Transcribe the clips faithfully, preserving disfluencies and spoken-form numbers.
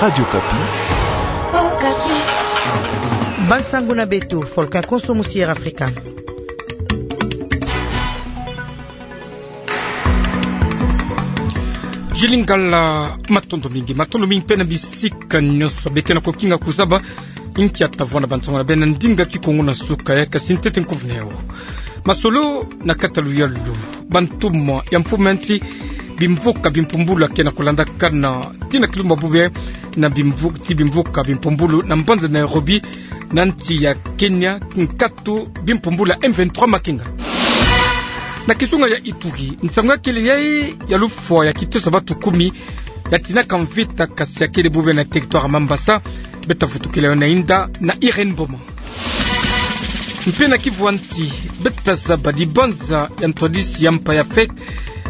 Radio Okapi. Bansango na beto, Volcan Konso mu Sierra Africa. Jili Ngala, matondo mingi, matondo mingi mpe na bisika nyonso be ke na kokinga kuzaba. Nkia tavwanda bansango na beno na ndinga Kikongo na suka ya, kasi ntete nkufi na yawu. Masolo na kati ya luyalu. Bantumwa ya mfumu ya nsi, bimvuka bimpumbulu ya ke na kulandakana tii na kilumbu bubia na bimvu-, tii bimvuka bimpumbulu na mbanza Nairobi, na nsi ya Kenya, nkatu bimpumbulu ya M vingt-trois makenga. Na kizunga ya Ituri, nsangu ya kele yayi ya lufwa ya kiteso ya bantu kumi ya tinaka mvita, kasi ya kele bubia na territoire ya Mambasa. Beta vutukila yo na inda na Irène Mboma. Mpe na Kivu ya nsi, beta zaba dibanza ya ntwadisi ya mpa ya fête,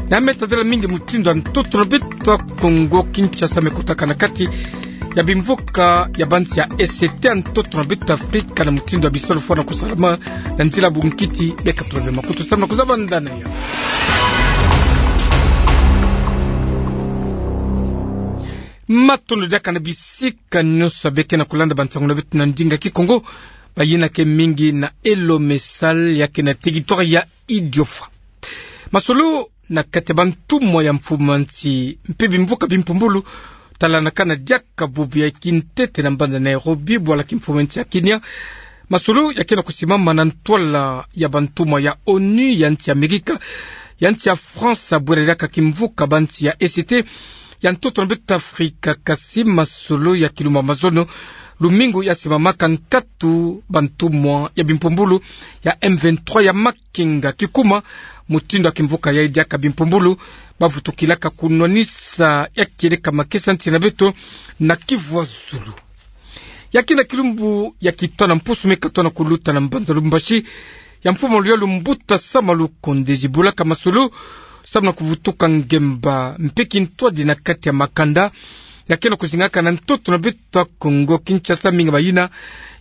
na me tadila mingi mutindu ya ntoto na beto ya Kongo Kinshasa me kotaka na kati ya bimvuka ya bansi ya E C T ya ntoto na beto Afrika, na mutindu ya bisalu fwana kusalama na nzila bunkiti. Beka tulave makutu samu na kuzaba ndani ya matondo diaka na bisika nyonso be ke na kulanda bansango na beto na ndinga Kikongo, bayina ke mingi na Elo Messal ya ke na territoire ya Idiofa. Masolo na kati ya bantumwa ya mfumu ya nsi mpe bimvuka bimpumbulu, talandakana diaka bubia kintete na mbanza Nairobi, bwala kimfumu ya nsi ya Kenya. Masolo ya ke na kusimama na ntwala ya bantumwa ya ONU, ya nsi ya Amerika, ya nsi ya France, bwela diaka kimvuka bansi ya E C T ya ntoto na beto Afrika. Kasi masolo ya kilumbu ya mazono, lumingu, ya simamaka nkatu bantumwa ya bimpumbulu ya M vingt-trois ya makenga kikuma, mutindu ya kimvuka yayi diaka bimpumbulu, bavutukilaka kunwanisa ya kieleka makesa nsi na beto na Kivu ya Zulu. Ya ke na kilumbu ya kitanu mpusu me katona kuluta na mbanza Lubumbashi, ya mfumu ya luyalu Mbuta Sama Lukonde zibulaka masolo samu na kuvutuka ngemba mpe kintwadi na kati ya makanda ya ke na kuzingaka na ntoto na beto ya Kongo Kinshasa, mingi bayina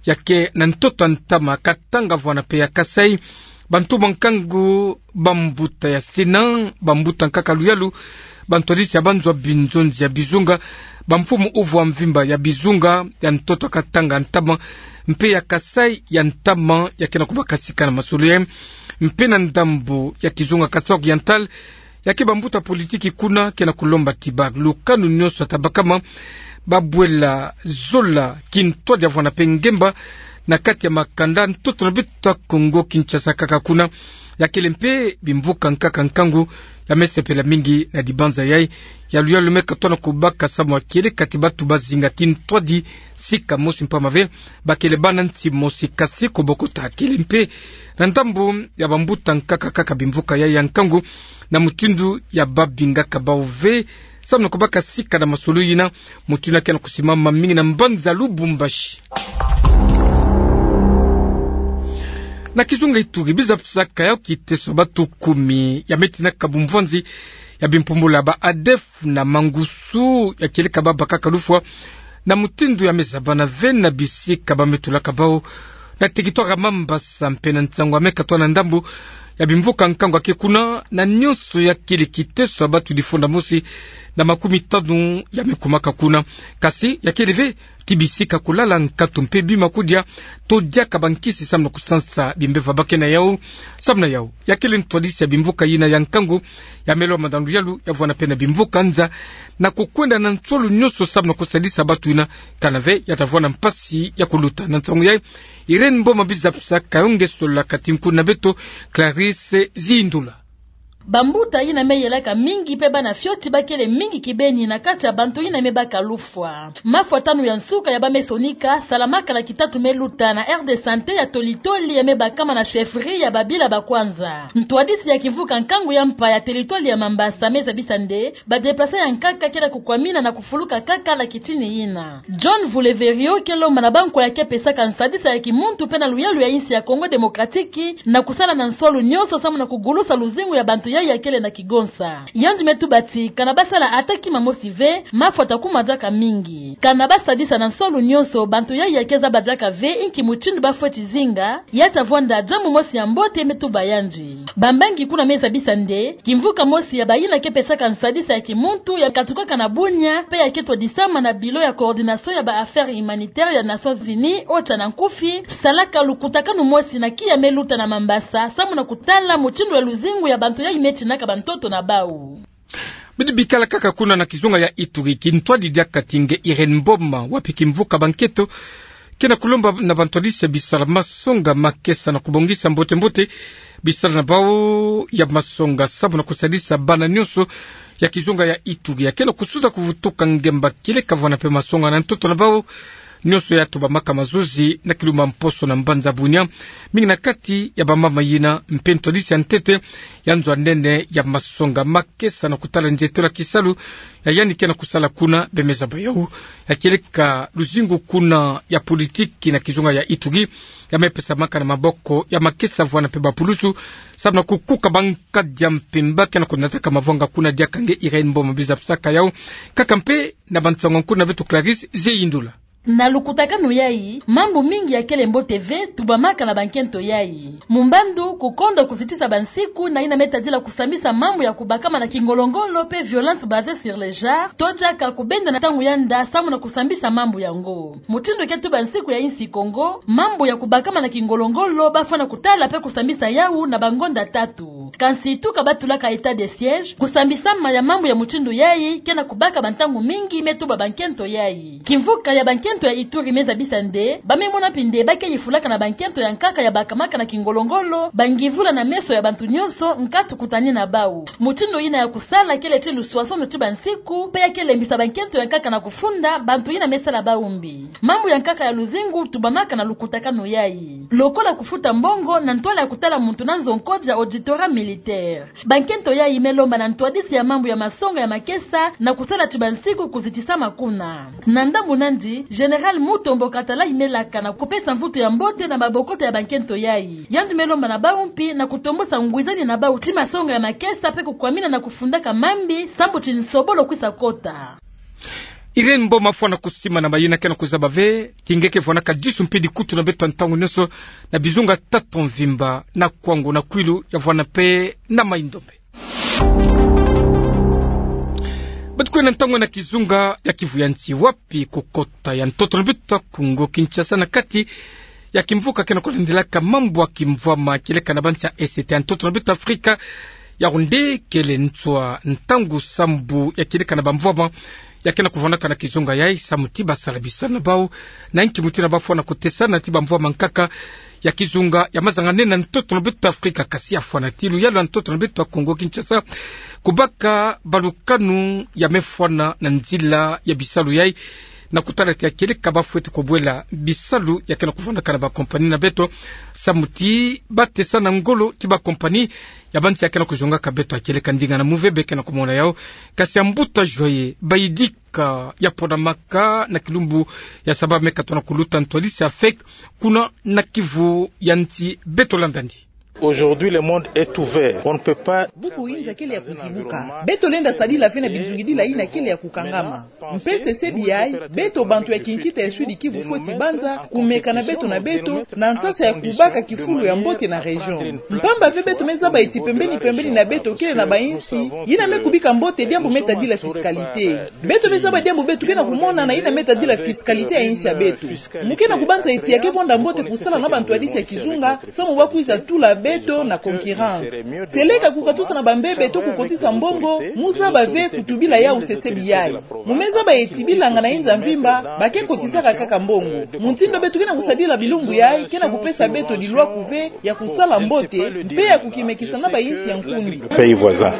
ya ke na ntoto ya ntama, Katanga vwana mpe ya Kasaï. Bantumwa nkangu, bambuta ya Sénat, bambuta nkaka luyalu, bantwadisi ya banzo ya binzonzi ya bizunga, bamfumu uvwa mvimba ya bizunga ya ntoto ya Katanga ya ntama mpe ya Kasaï ya ntama ya ke na kubakasika na masolo yayi. Mpe na ndambu ya kizunga Kasaï Oriental, ya ke bambuta politiki kuna ke na kulomba ti balukanu nyonso ya tabakama, babwela zola kintwadi ya vwana mpe ngemba na kati ya makanda ntoto na beto ya Kongo Kinshasa kaka kuna. Ya kele mpe bimvuka nkaka nkangu ya me sepela mingi na dibanza yayi ya luyalu me katona kubaka samu ya kieleka ti bantu bazinga kintwadi sika mosi mpamba ve bakele bana nsi mosi, kasi kobokota kele mpe na ndambu ya bambuta nkaka kaka bimvuka yayi ya nkangu na mutindu ya babingaka bawu ve. Samu na kubakasika na masolo yina, mutindu ya ke na kusimama mingi na mbanza Lubumbashi. Na kizunga Ituri, biza pisaka ya kiteso bantu kumi ya me tinaka bumvwanzi ya bimpumbulu ya ba ADF na mangusu ya kieleka babakaka lufwa na mutindu ya me zabana ve na bisika ba me tulaka bawu na territoire ya Mambasa, mpe na nsangu ya me katwa na ndambu ya bimvuka nkangu ya ke kuna, na nyonso ya kele kiteso ya bantu difunda mosi na makumi tanu ya me kumaka kuna. Kasi ya kele ve ti bisika kulala, nkatu mpe bima kudia, to diaka bankisi samu na kusansa bimbeva ba ke na yawu. Samu na yawu, ya kele ntwadisi ya bimvuka yina ya nkangu ya me lomba na luyalu ya vwana mpe na bimvuka nza na kukwenda na nsolo nyonso samu na kusadisa bantu yina, kana ve ya tavwanda mpasi ya kuluta. Na nsangu yayi, Irène Mboma biza pisaka yo nge solola kati nkundi na beto Clarisse Zindula. Bambuta yina me yelaka mingi mpe bana fioti bakele mingi kibeni na kati ya bantu yina me baka lufwa. Mafwa tanu ya nsuka ya ba me sonika salamaka na kitatu me luta na aire de santé ya Tolitoli ya me bakama na chefferie ya Babila Bakwanza. Ntwadisi ya kimvuka nkangu ya mpa ya territoire ya Mambasa me zabisa nde ba déplacés ya nkaka ke na kukwamina na kufuluka kaka na kitini yina. John Vuleverio ke lomba na bankwa ya ke pesaka nsadisa ya kimuntu mpe na luyalu ya insi ya Congo Démocratique na kusala na nswalu nyonso samu na kugulusa luzingu ya bantu yayi ya kele na kigonsa. Yandi me tuba ti, kana basala ata kima mosi ve, mafwa ta kuma diaka mingi. Kana basadisa na nsolu nyonso bantu yayi ya ke zaba diaka ve, inki mutindu bafweti zinga, ya ta vwanda diambu mosi ya mbote, me tuba yandi. Bambangi kuna me zabisa nde, kimvuka mosi ya bayina ke pesaka nsadisa ya kimuntu ya katukaka na Bunia, pe ya ke twadisama na Bureau ya Coordination ya ba Affaires Humanitaires ya Nations Unies, OCHA na nkufi, salaka lukutakanu mosi na kiya me luta na Mambasa, samu na kutala mutindu ya luzingu ya bantu yayi me tinaka bantoto na bau. Bidi bikala kaka kuna na kizunga ya Ituri, kintwadi diaka ti nge Irène Mboma, wapi kimvuka bankento ke na kulomba na bantwadisi ya bisala masonga makesa na kubongisa mbote-mbote bisala na bau ya masonga, samu na kusadisa bana nyonso ya kizunga ya Ituri ya ke na kusuza kuvutuka ngemba kieleka vwanda mpe masonga na ntoto na bau nyonso ya tubamaka mazozi na kilumbu mposo na mbanza Bunia, mingi na kati ya bamama yina mpe ntwadisi ya ntete ya nzo a nene ya masonga makesa na kutala nzietelo ya kisalu ya yandi ke na kusala kuna. Be me zaba yau ya kieleka luzingu kuna ya politiki na kizunga ya Ituri ya me pesamaka na maboko ya makesa vwanda mpe bapulusu, samu na kukuka bankadi ya mpimpa ke na kunataka mavanga kuna. Diaka nge Irène Mboma, biza pisaka yau kaka mpe na bansango kuna beto Clarisse Zeyindula. Na lukutakanu yayi, mambu mingi ya kele mbote ve tubamaka na bankento yayi. Mumbandu, kukonda kuzitisa bansiku na yina me tadila kusambisa mambu ya kubakama na kingolo-ngolo pe violence basée sur le genre, to diaka kubenda na ntangu ya nda samu na kusambisa mambu yango. Mutindu ke tuba nsiku ya insi Kongo, mambu ya kubakama na kingolo-ngolo bafwana kutala pe kusambisa yau na bangonda tatu. Kansi tuka batulaka état de siège, kusambisama ya mambu ya mutindu yayi ke na kubaka bantangu mingi, me tuba bankento yayi. Kimvuka ya bankento ya Ituri me zabisa nde, ba me mona mpi nde ba ke yifulaka na bankento ya nkaka ya bakamaka na kingolo-ngolo bangivula na meso ya bantu nyonso, nkatu kutani na bau. Mutindu yina ya kusala kele ti luswaswanu ti bansiku, pe ya ke lembisa bankento ya nkaka na kufunda bantu yina me sala bau mbi. Mambu ya nkaka ya luzingu tubamaka na lukutakanu yayi, lokola kufuta mbongo na ntwala ya kutala muntu na nzo nkodia, auditorat militaire. Bankento yayi me lomba na ntwadisi ya mambu ya masonga ya makesa na kusala ti bansiku kuzitisama kuna. Na ndambu nandi, Général Mutombo Katalayi me laka na kupesa mvutu ya mbote na mabokoto ya bankento yayi. Yandi me lomba na bau mpi na kutombosa ngwizani na bau ti masonga ya makesa pe kukwamina na kufundaka mambi, sambu ti nsobolo kwisa kota. Irène Mboma, fwana kusimana mayina ke na kuzaba ve ti nge ke fwanaka disu mpe dikutu na beto ntangu nyonso na bizunga tatu mvimba, na Kwango, na Kwilu ya vwanda mpe na Mai-Ndombe. Batukwenda ntangu na kizunga ya Kivu ya nsi, wapi kukota ya ntoto na beto Kongo Kinshasa na kati ya kimvuka ke na kulandilaka mambu ya kimvwama kieleka na bansi ya Est ya ntoto na beto Afrika, ya runde kele nswa ntangu sambu ya kieleka na bamvwama ya ke na kuvwandaka na kizunga yayi, samu ti basala bisalu na bau na nki mutindu bafwana kutesana ti bamvwama nkaka ya kizunga ya mazanga nene na ntoto na beto Afrika, kasi ya fwana ti luyalu ya ntoto na beto Kongo Kinshasa kubaka balukanu ya me fwana na nzila ya bisalu yayi, na kutala ti ya kieleka bafweti kubwela bisalu ya ke na kuvwandaka na bakompani na beto, samu ti batesana ngolo ti bakompani ya bansi ya ke na kuzongaka beto. Ya kieleka ndinga na muvebe ke na kumona yau, kasi ya mbuta Joyeux Bayidika ya ponamaka na kilumbu ya saba me katono kuluta ntwadisi ya fek kuna na Kivu ya nsi, beto landa ndi. Aujourd'hui, le monde est ouvert. On ne peut pas. Bubu inza kele ya kuzibuka. Beto lenda sadila ve na binzungidila yina kele ya kukangama. Mpe sesebi yayi, beto bantu ya kinkita ya Sud-Kivu fweti banza kumeka na beto na beto, na nsasa ya kubaka kifulu ya mbote na région. Mpamba ve beto me zaba ti pembeni-pembeni na beto kele na bainsi yina me kubika mbote diambu me tadila fiscalité. Beto me zaba diambu beto ke na kumona na yina me tadila fiscalité ya insi ya beto. Mu ke na kubanza ti ya ke vonda mbote kusala na bantwadisi ya kizunga, samu ba kwiza tula beto na concurrence. Seleka kukatusa na bambebe to kukotisa mbongo, mu zaba ve kutubila yau sesebi yayi. Mu me zaba ti bilanga na inza mvimba ba ke kotisaka kaka mbongo. Mutindu beto ke na kusadila bilumbu yayi ke na kupesa beto dilwaku ve ya kusala mbote, mpe ya kukimekisa na bainsi ya nkundi. Pays voisin.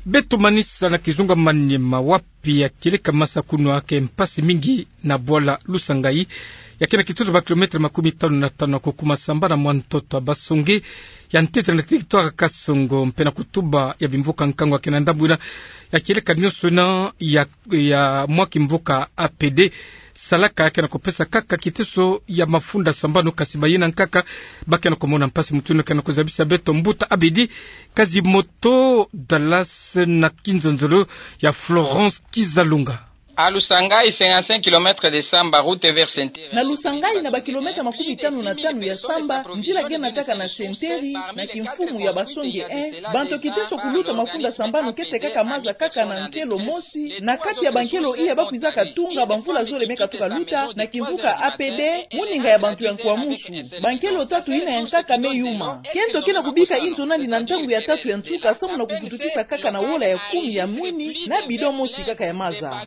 Beto manisa na kizunga Maniema, wapi ya kieleka masakunwa ke mpasi mingi na bwala Lusangayi, ya ke na kitutu ba kilometre makumi tanu na tanu na kukuma samba na mwa ntoto ya Basonge, ya ntete na territoire Kasongo, mpe na kutuba ya bimvuka nkangu ya ke na ndambu yina, ya kieleka nyonso yina ya, ya mwa kimvuka A P D, salaka ke na kopesa kaka kiteso ya mafunda sambanu, kasi bayina nkaka ba ke na komona mpasi. Mutindu ke na kozabisa beto, mbuta Abidi Kazimoto Dallas na kinzonzolo ya Florence Kizalunga. A Lusangai, cinquante-cinq kilomètres de Samba, route vers Senteri. Na Lusangai, na bakilomètre makumi tanu na tanu ya Samba, nzila ke nataka na Senteri, na kimfumu ya Basonge un, bantu kiteso kuluta mafunda sambanu kete kaka maza kaka na nkelo mosi, na kati ya bankelo iya ba kwizaka tunga bamvula zole me katuka luta, na kimvuka A P D, moninga ya bantu ya Nkwamusu. Bankelo tatu yina ya nkaka me yuma. Kento ke na kubika inzo nani na ntangu ya tatu ya nsuka, samu na kuvutukisa kaka na wola ya kumi ya mwini, na bidon mosi kaka ya maza.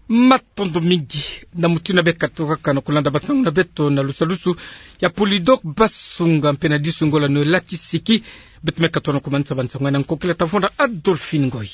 Matondo mingi. Na mutindu ya be katuka kaka na kulanda bansangu na beto na lusalusu ya Polydor Basunga mpe na disunga la Noëlla Kisiki, beto me katuka na kumanisa bansangu na nkokila tavonda Adolphine Ngoyi.